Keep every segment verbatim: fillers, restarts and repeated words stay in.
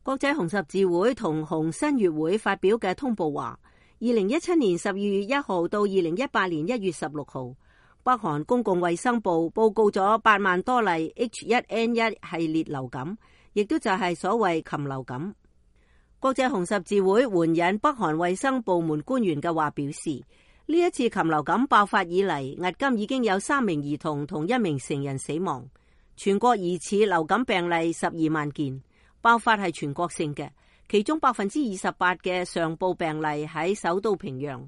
國際紅十字會同紅新月會發表嘅通報話，二零一七年十二月一號到二零一八年一月十六號，北韓公共衛生部報告咗八萬多例 H 一 N 一 系列流感，亦都就係所謂禽流感。國際紅十字會援引北韓衛生部門官員嘅話表示，呢一次禽流感爆發以嚟，迄今已經有三名兒童同一名成人死亡，全國疑似流感病例十二萬件。爆發係全國性嘅，其中百分之二十八嘅上報病例喺首都平壤。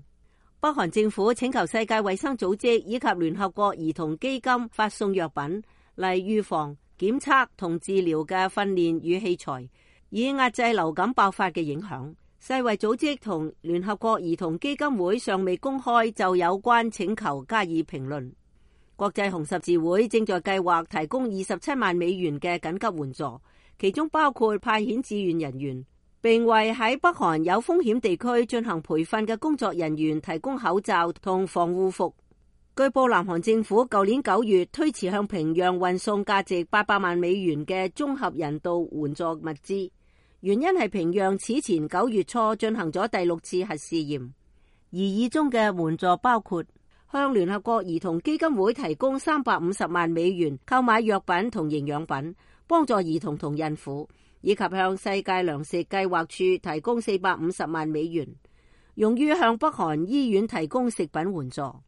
北韓政府請求世界衛生組織以及聯合國兒童基金發送藥品嚟預防、檢測同治療嘅訓練與器材，以壓制流感爆發嘅影響。世衛組織同聯合國兒童基金會尚未公開就有關請求加以評論。國際紅十字會正在計劃提供二十七萬美元嘅緊急援助，其中包括派遣志願人員，並為喺北韓有風險地區進行培訓嘅工作人員提供口罩同防護服。據報，南韓政府舊年九月推遲向平壤運送價值八百萬美元嘅綜合人道援助物資，原因係平壤此前九月初進行咗第六次核試驗。而以中嘅援助包括向聯合國兒童基金會提供三百五十萬美元購買藥品同營養品，幫助兒童同孕婦，以及向世界糧食計劃處提供四百五十萬美元，用於向北韓醫院提供食品援助。二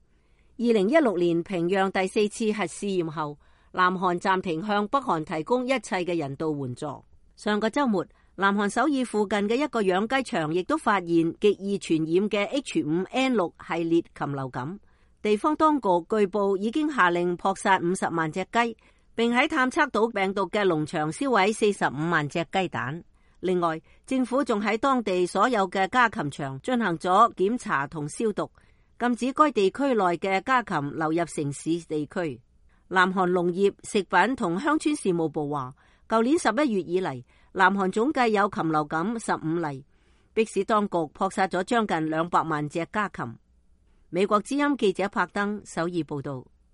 零一六年平壤第四次核試驗後，南韓暫停向北韓提供一切嘅人道援助。上個週末，南韓首爾附近嘅一個養雞場亦都發現極易傳染嘅 H 五 N 六 系列禽流感。地方當局據報已經下令撲殺五十萬隻雞，並喺探測到病毒嘅農場燒毀四十五萬隻雞蛋。另外，政府仲喺當地所有嘅家禽場進行咗檢查同消毒，禁止該地區內嘅家禽流入城市地區。南韓農業、食品同鄉村事務部話，舊年十一月以嚟，南韓總計有禽流感十五例，迫使當局撲殺咗將近兩百萬隻家禽。美國之音記者柏登首爾報道。